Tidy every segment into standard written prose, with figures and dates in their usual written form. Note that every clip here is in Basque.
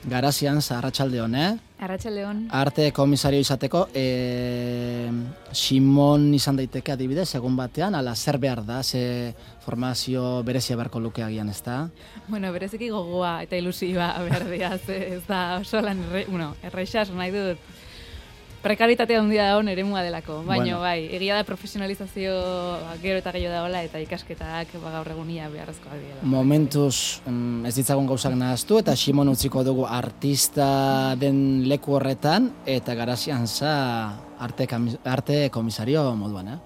Garazian, arratsaldeon, Arratsaldeon. Arte komisario izateko, Simon izan daiteke adibidez, egun batean, ala zer behar da, ze formazio berezia beharko luke agian, ez da? Bueno, bereziki gogoa eta ilusioa behar dira, ez da oso lan erreixas nahi dut. Prekaritatea handia da eremua delako, baina bai, egia da profesionalizazio gero eta gehiago dagoela eta ikasketak gaur egunia beharrezkoak dira. Momentuz ez ditzagun gauzak nahaztu eta Simon utziko dugu artista den leku horretan eta Garazian za arte komisario moduan,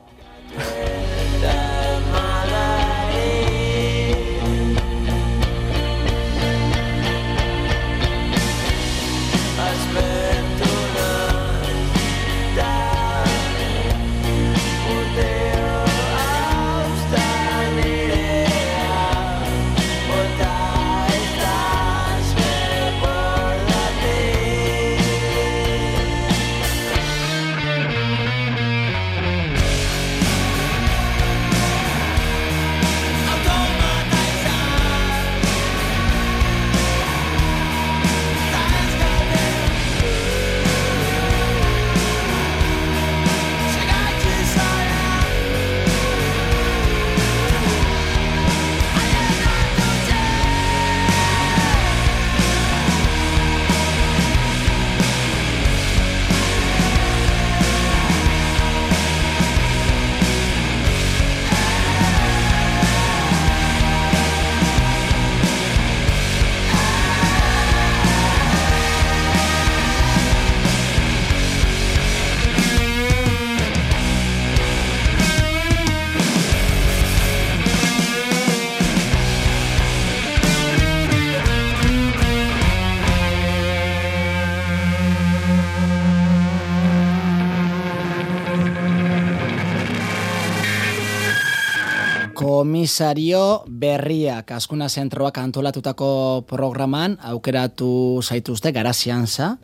Komisario berriak Azkuna Zentroak antolatutako programan aukeratu zaituzte Garazian za,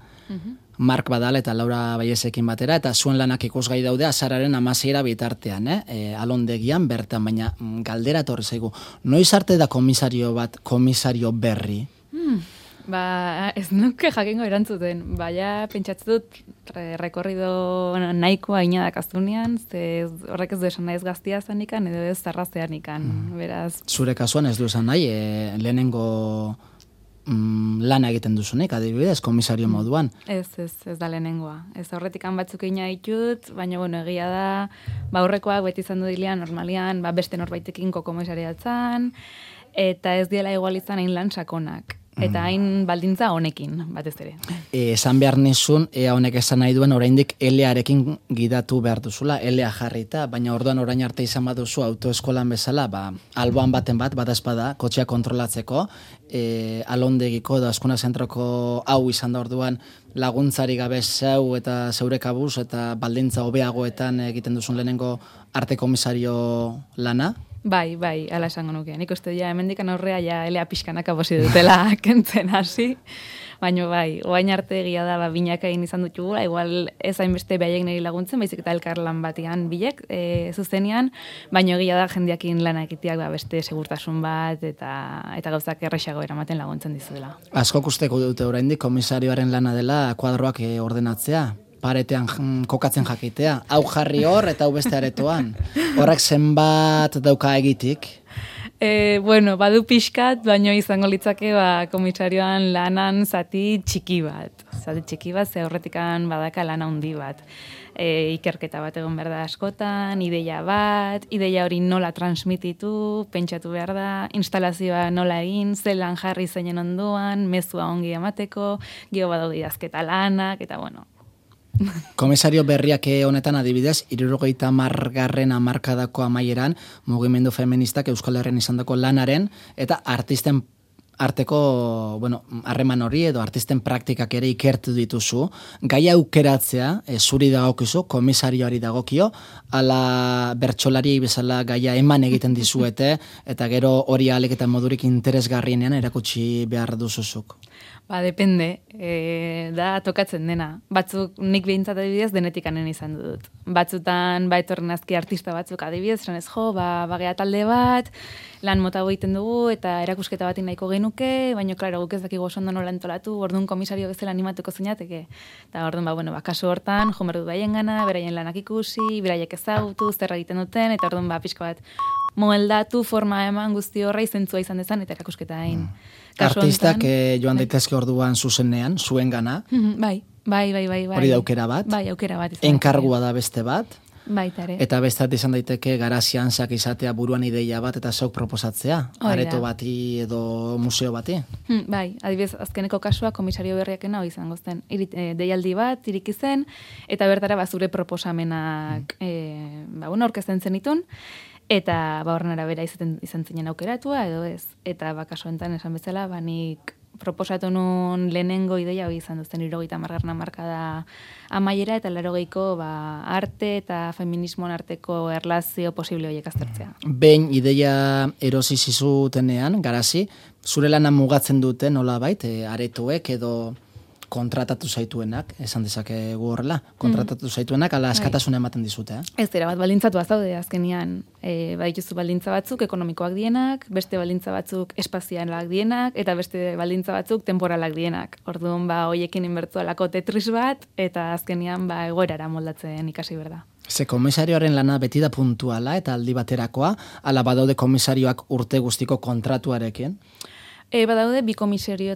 Mark Badal eta Laura Baiezekin batera, eta zuen lanak ikusgai daude azararen 16 bitartean, alondegian bertan, baina galdera etorri zaigu. Noiz arte da komisario berri? Ez nuke jakingo erantzuten, baina pentsatzen dut rekorrido nahikoa inadak aztunean, ze horrek ez du esan nahi ez gaztia zanikan, edo ez zarrazean ikan, beraz. Zure kasuan ez du esan nahi, lehenengo lana egiten duzunik, adibidez, komisario moduan. Ez da lehenengoa. Ez horretikan batzuk ina ditut, baina egia da, aurrekoak beti izan du dilean, normalian, beste norbaitekin komisariatzen, eta ez diela igual izan hain lan sakonak. Eta hain baldintza honekin, batez ere. Esan behar nizun, ea honek esan nahi duen oraindik L-arekin gidatu behar duzula, L-a jarrita, baina orduan orain arte izan baduzu autoeskolan bezala, alboan baten bada espada, kotxea kontrolatzeko, alondegiko edo Azkuna Zentroko hau izan da orduan laguntzari gabe zeu eta zeure kabuz eta baldintza hobeagoetan egiten duzun lehenengo arte komisario lana? Bai, ala esango nuke. Nik uste ja, hemendikan aurrea ja elea pixkanaka posi dutela kentzen hasi. Baina bai, oain arte egia da binaka egin izan dutugula, igual ez hainbeste behaiek niri laguntzen, baizik eta elkarlan batean bilek, zuzenean, baina egia da jendiakin lana egiteak beste segurtasun bat eta gauzak errexago eramaten laguntzen dizuela. Askok usteko dute oraindik komisarioaren lana dela kuadroak ordenatzea? Paretean kokatzen jakitea. Hau jarri hor eta hau beste aretoan. Horrek zenbat dauka egitik? Badu pixkat, baino izango litzake komisarioan lanan zati txiki bat. Ze horretikan badaka lana handi bat. Ikerketa bat egon behar da askotan, ideia hori nola transmititu, pentsatu behar da, instalazioa nola egin, zelan jarri zeinen ondoan, mezua ongi emateko, gero badaude idazketa lanak, eta Komisario berriak honetan adibidez, 70. hamarkadako amaieran mugimendu feministak Euskal Herrian izandako lanaren eta artisten arteko, harreman hori edo artisten praktikak ere ikertu dituzu, gai aukeratzea, zuri dagokizu, komisarioari dagokio, ala bertsolari bezala gaia eman egiten dizuete, eta gero hori ahalik eta modurik interesgarrienean erakutsi behar duzuzuk. Depende, da tokatzen dena. Batzuk nik behintzat adibidez denetik anen izan dut. Batzutan, etorren azki artista batzuk adibidez, esan ez bagea talde bat, lan mota egiten dugu, eta erakusketa batin nahiko genuke, baina, klaro, guk ez dakigu oso ondo nola entolatu, orduan komisario bezala animatuko zeinateke. Eta orduan, kasu hortan, jo berdu baien gana, beraien lanak ikusi, beraiek ezagutu, zer egiten duten, eta orduan, pixka bat, moldatu, forma eman guzti horra izentzua izan dezan, eta erakusketa hain. Artistak joan daitezke orduan zuzenean, zuen gana. Bai. Hori da aukera bat. Bai, aukera bat. Enkargua da beste bat. Baitare. Eta bestat izan daiteke garazian zak izatea buruan ideia bat eta zeuk proposatzea. Areto bati edo museo bati. Bai, adibidez, azkeneko kasua komisario berriakena hori izango zen. Deialdi bat, iriki zen, eta bertara zure proposamenak aurkezten zenitun. Eta horren arabera izan zinen aukeratua, edo ez. Eta kasu enten esan bezala, nik proposatu nun lehenengo ideia hori izan duzten 70. hamarkada amaiera, eta 80ko arte eta feminismoan arteko erlazio posible horiek aztertzea. Behin ideia erosi zizutenean, garazi, zure lana mugatzen dute nolabait, aretoek edo kontratatu zaituenak, esan dezakegu horrela, kontratatu zaituenak, ala askatasuna ematen dizute, Ez dira, baldintzatu azaude azkenian, badituzu baldintza batzuk ekonomikoak dienak, beste baldintza batzuk espazialak dienak, eta beste baldintza batzuk temporalak dienak. Orduan, hoiekin inbertu alako tetris bat, eta azkenian, egoerara moldatzen ikasi berda. Ze komisarioaren lana beti da puntuala eta aldi baterakoa, ala badaude komisarioak urte guztiko kontratuarekin? Badaude bi komisario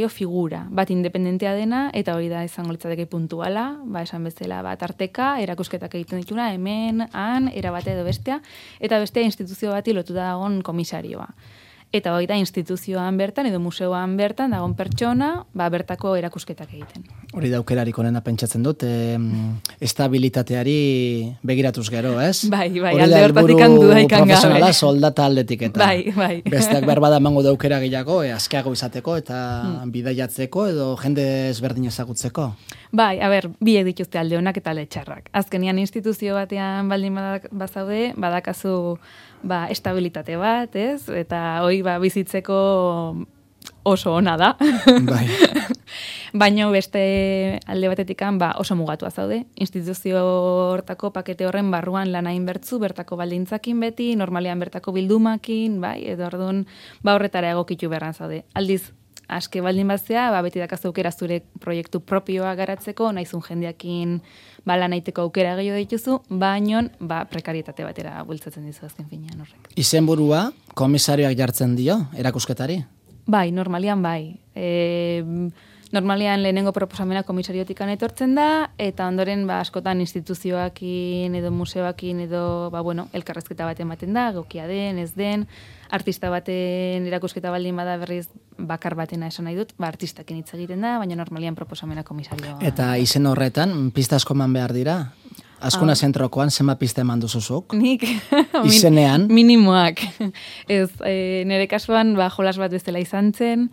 figura, bat independentea dena, eta hori da izango litzateke puntuala, esan bezala tarteka, erakusketak egiten dituna, hemen, han, erabate edo bestea, eta bestea instituzio bati lotuta dagoen komisarioa. Eta hori da instituzioan bertan, edo museoan bertan, dagoen pertsona, bertako erakusketak egiten. Hori da aukerarik onena pentsatzen dut, estabilitateari begiratuz gero, ez? Bai, alde hortatik handu daikan gabe. Profesionala soldata aldetik eta. Bai. Besteak berbada emango da aukera gehiago, azkeago izateko eta bidaiatzeko edo jende ezberdin ezagutzeko. Bai, biek dituzte alde onak eta alde txarrak. Azkenian instituzio batean baldin bazaude, badakazu estabilitate bat, ez? Eta hoi bizitzeko oso ona da. Bai. Baina beste alde batetikan oso mugatua zaude. Instituzio hortako pakete horren barruan lana inbertzu, bertako baldintzakin beti, normalean bertako bildumakin, edo orduan horretara egokitu beharran zaude. Aldiz, aske baldin bazea, beti dakazu aukera zure proiektu propioa garatzeko, naizun jendeakin lan aiteko aukera gehiago dituzu, baino prekarietate batera bultzatzen dizu azken finean horrek. Izenburua komisarioak jartzen dio erakusketari? Bai, normalian bai. Normalian lehenengo proposamena komisariotikan etortzen da, eta ondoren askotan instituzioakin edo museoakin edo elkarrezketa bat ematen da, gokia den, ez den, artista baten erakusketa baldin bada berriz bakar batena esan nahi dut, artistakin hitz egiten da, baina normalian proposamena komisarioa. Eta izen horretan, pista asko eman behar dira? Azkuna zentrokoan, zenba pista eman duzuzuk? Nik? Izenean? Minimoak. Ez, nire kasuan, jolas bat bezala izan zen,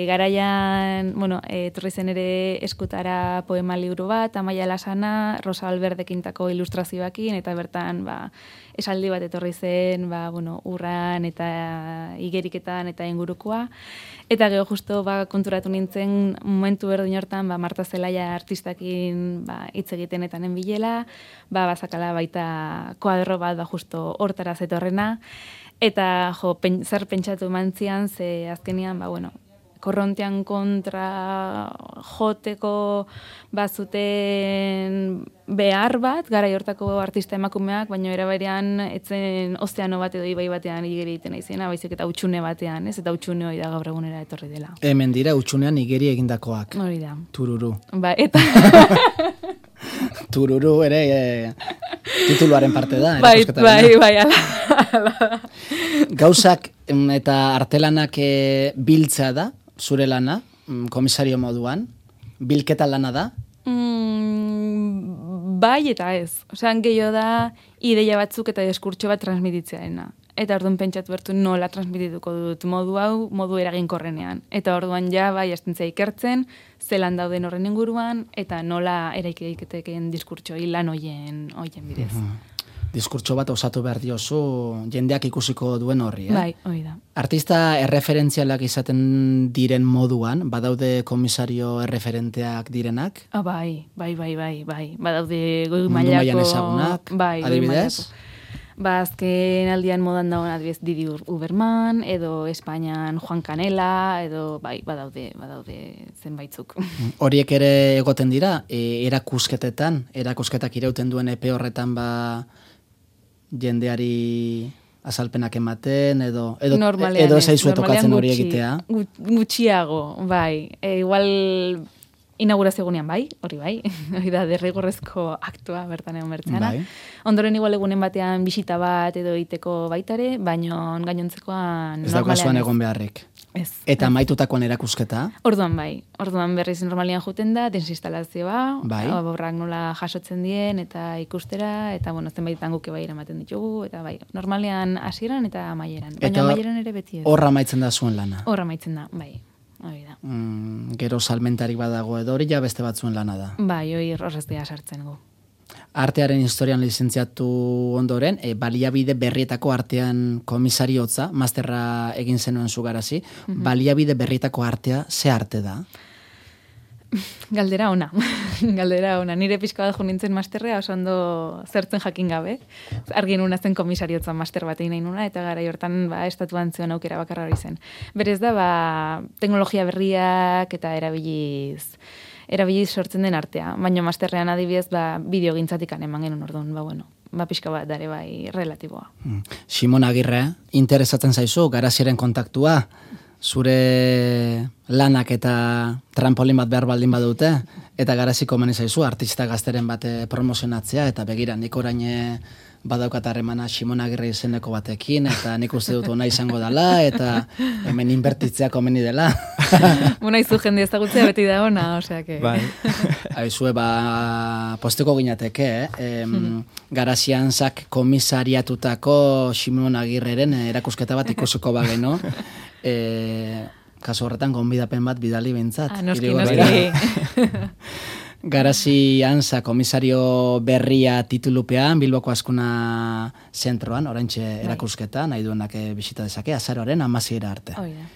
garaian, etorri zen ere eskutara poema liburu bat, Amaia Lasana, Rosa Alberdekintako ilustrazioakin, eta bertan, esaldi bat etorri zen, urran eta igeriketan eta ingurukoa. Eta gero justo konturatu nintzen momentu berdin hortan, Marta Zelaia artistakin hitz egiten eta nenbilela, bazakala baita kuadro bat justo hortara zetorrena, eta zer pentsatu mantzian, ze azkenian, korrontean kontra joteko bazuten behar bat, gara hortako artista emakumeak, baina eraberean etzen ozeano bat edo ibai batean igeri egiten izena, baizik eta utxune batean, ez? Eta utxune hori da gaur egunera etorri dela. Hemen dira utxunean igeri egindakoak. Hori da. Tururu. Eta... Tururu ere tituluaren parte da. Bai, ala. Gauzak eta artelanak biltzea da, zure lana, komisario moduan, bilketa lana da? Bai eta ez. Osean gehiago da ideia batzuk eta diskurtso bat transmititzearena. Eta orduan pentsatu bertu nola transmitituko dut modu eraginkorrenean. Eta orduan astentzea ikertzen, zelan dauden horren inguruan, eta nola eraikiteken diskurtso lan hoien bidez. diskurtso bat osatu behar diozu jendeak ikusiko duen horri, Bai, hori da. Artista erreferentzialak izaten diren moduan, badaude komisario erreferenteak direnak? Bai. Badaude goi Mundu mailako... mailan ezagunak, bai, adibidez? Azken aldian modan dagoen adibidez Didi Uberman, edo Espainian Juan Canela, edo badaude zenbaitzuk. Horiek ere egoten dira, erakusketak irauten duen epe horretan jendeari azalpenak ematen, edo ezaizu tokatzen hori egitea? Gutxiago, bai. Igual inaugurazio egunean bai, hori da derrigorrezko aktua bertan egon bertzana. Bai. Ondoren igual egunen batean bisita bat edo iteko baitare, baino gainontzekoan ez daukazuan egon beharrik. Ez. Eta amaitutakoan erakusketa? Orduan berriz normalian juten da, desinstalazioa, oborrak nola jasotzen dien, eta ikustera, eta zenbaitan guke bai eramaten ditugu, eta normalean hasieran eta amaieran. Baina amaieran ere beti ez. Horra amaitzen da zuen lana? Horra amaitzen da, bai. Hori da. Gero salmentarik badago edo hori ja beste batzuen lana da? Bai, hori horrez dira sartzen gu. Artearen historian lizentziatu ondoren, baliabide berrietako artean komisariotza, masterra egin zenuen zugarazi, baliabide berrietako artea, ze arte da? Galdera ona. Nire pixka bat nintzen masterrea, oso ondo zertzen jakin gabe. Argi nuna zen komisariotza master bat egin nahi nuna, eta gara hortan estatuan zuen aukera bakarra hori zen. Berez da, teknologia berriak eta erabiliz sortzen den artea. Baina masterrean adibidez, bideo gintzatik eman genuen orduan, pixka bat dare bai relatiboa. Simon Agirre, interesatzen zaizu, garaziaren kontaktua, zure lanak eta trampolin bat behar baldin badute, eta garaziko meni zaizu, artista gazteren bat promozionatzea, eta begira, nik orain badaukat harremana Simon Agirre izeneko batekin, eta nik uste dut ona izango dela, eta hemen inbertitzea komeni dela. Izu jende ezagutzea beti da ona, oseake. Bai. Aizue, posteko ginateke, Garazian zak komisariatutako Simon Agirreren erakusketa bat ikusiko bageno, kasu horretan gonbidapen bat bidali bintzat. Noski. Garazi Anza komisario berria titulupean, Bilboko Azkuna zentroan, oraintxe erakusketa, nahi duenak bisita dezake, azaroaren 16 arte.